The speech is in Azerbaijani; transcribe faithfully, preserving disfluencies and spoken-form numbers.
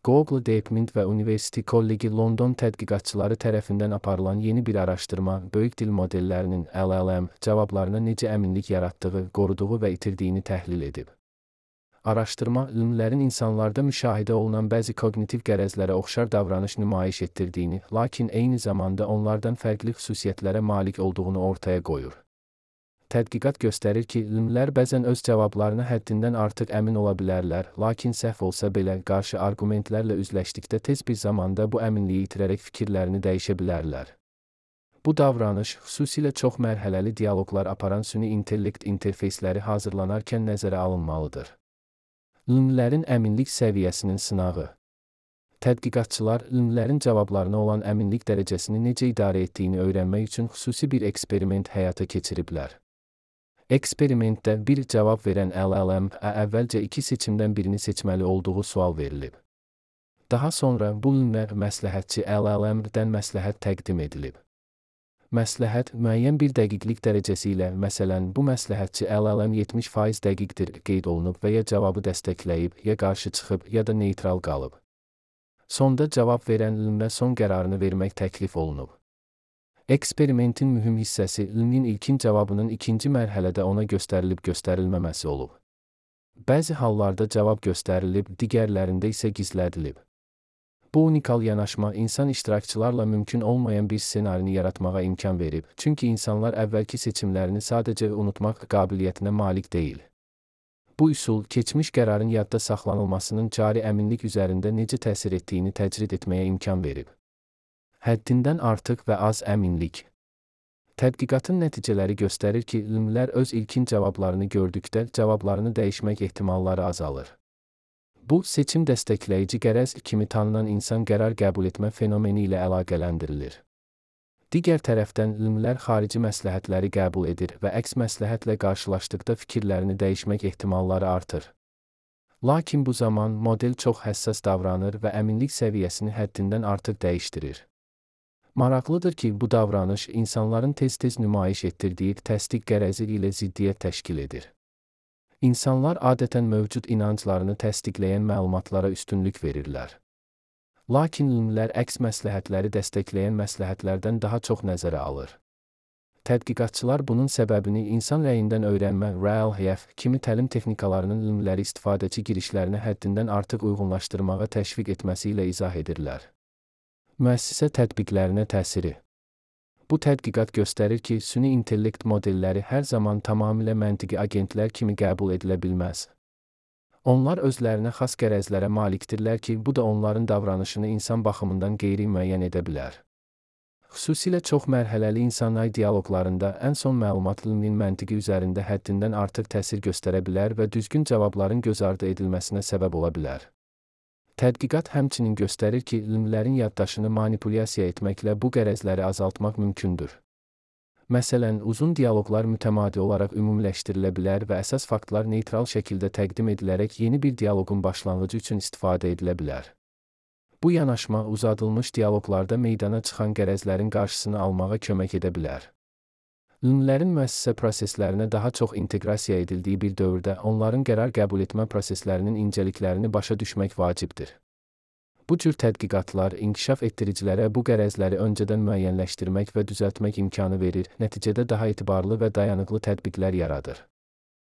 Google Deepmind və University College London tədqiqatçıları tərəfindən aparılan yeni bir araşdırma, böyük dil modellərinin L L M cavablarına necə əminlik yaratdığı, qoruduğu və itirdiyini təhlil edib. Araşdırma, ümumlərin insanlarda müşahidə olunan bəzi kognitiv qərəzlərə oxşar davranış nümayiş etdirdiyini, lakin eyni zamanda onlardan fərqli xüsusiyyətlərə malik olduğunu ortaya qoyur. Tədqiqat göstərir ki, ümumlər bəzən öz cavablarına həddindən artıq əmin ola bilərlər, lakin səhv olsa belə qarşı arqumentlərlə üzləşdikdə tez bir zamanda bu əminliyi itirərək fikirlərini dəyişə bilərlər. Bu davranış, xüsusilə çox mərhələli dialoqlar aparan süni intellekt interfeysləri hazırlanarkən nəzərə alınmalıdır. Ümumlərin əminlik səviyyəsinin sınağı. Tədqiqatçılar, ümumlərin cavablarına olan əminlik dərəcəsini necə idarə etdiyini öyrənmək üçün xüsusi bir eksperiment həyata keçiriblər. Eksperimentdə bir cavab verən L L M-ə əvvəlcə iki seçimdən birini seçməli olduğu sual verilib. Daha sonra bu ümumlər məsləhətçi L L M-dən məsləhət təqdim edilib. Məsləhət müəyyən bir dəqiqlik dərəcəsi ilə, məsələn, bu məsləhətçi L L M yetmiş faiz dəqiqdir qeyd olunub və ya cavabı dəstəkləyib, ya qarşı çıxıb, ya da neytral qalıb. Sonda cavab verən ümumə son qərarını vermək təklif olunub. Eksperimentin mühüm hissəsi ümmin ilkin cavabının ikinci mərhələdə ona göstərilib göstərilməməsi olub. Bəzi hallarda cavab göstərilib, digərlərində isə gizlədilib. Bu unikal yanaşma insan iştirakçılarla mümkün olmayan bir ssenarini yaratmağa imkan verib, çünki insanlar əvvəlki seçimlərini sadəcə unutmaq qabiliyyətinə malik deyil. Bu üsul, keçmiş qərarın yadda saxlanılmasının cari əminlik üzərində necə təsir etdiyini təcrid etməyə imkan verib. Həddindən artıq və az əminlik. Tədqiqatın nəticələri göstərir ki, ümumlər öz ilkin cavablarını gördükdə cavablarını dəyişmək ehtimalları azalır. Bu, seçim dəstəkləyici qərəz kimi tanınan insan qərar qəbul etmə fenomeni ilə əlaqələndirilir. Digər tərəfdən, ümumlər xarici məsləhətləri qəbul edir və əks məsləhətlə qarşılaşdıqda fikirlərini dəyişmək ehtimalları artır. Lakin bu zaman model çox həssas davranır və əminlik səviyyəsini həddindən artıq dəyişdirir. Maraqlıdır ki, bu davranış insanların tez-tez nümayiş etdirdiyi təsdiq qərəzi ilə ziddiyyət təşkil edir. İnsanlar adətən mövcud inanclarını təsdiqləyən məlumatlara üstünlük verirlər. Lakin ümumlər əks məsləhətləri dəstəkləyən məsləhətlərdən daha çox nəzərə alır. Tədqiqatçılar bunun səbəbini insan rəyindən öyrənmə R L H F kimi təlim texnikalarının ümumləri istifadəçi girişlərini həddindən artıq uyğunlaşdırmağa təşviq etməsi ilə izah edirlər. Müəssisə tətbiqlərinə təsiri. Bu tədqiqat göstərir ki, süni intellekt modelləri hər zaman tamamilə məntiqi agentlər kimi qəbul edilə bilməz. Onlar özlərinə xas qərəzlərə malikdirlər ki, bu da onların davranışını insan baxımından qeyri-müəyyən edə bilər. Xüsusilə çox mərhələli insan-ay dialoqlarında ən son məlumat ümuminin məntiqi üzərində həddindən artıq təsir göstərə bilər və düzgün cavabların göz ardı edilməsinə səbəb ola bilər. Tədqiqat həmçinin göstərir ki, ümumlərin yaddaşını manipulyasiya etməklə bu qərəzləri azaltmaq mümkündür. Məsələn, uzun dialoqlar mütəmadi olaraq ümumiləşdirilə bilər və əsas faktlar neytral şəkildə təqdim edilərək yeni bir dialoqun başlanğıcı üçün istifadə edilə bilər. Bu yanaşma uzadılmış dialoqlarda meydana çıxan qərəzlərin qarşısını almağa kömək edə bilər. Ümumlərin müəssisə proseslərinə daha çox inteqrasiya edildiyi bir dövrdə onların qərar qəbul etmə proseslərinin incəliklərini başa düşmək vacibdir. Bu cür tədqiqatlar inkişaf etdiricilərə bu qərəzləri öncədən müəyyənləşdirmək və düzəltmək imkanı verir, nəticədə daha etibarlı və dayanıqlı tətbiqlər yaradır.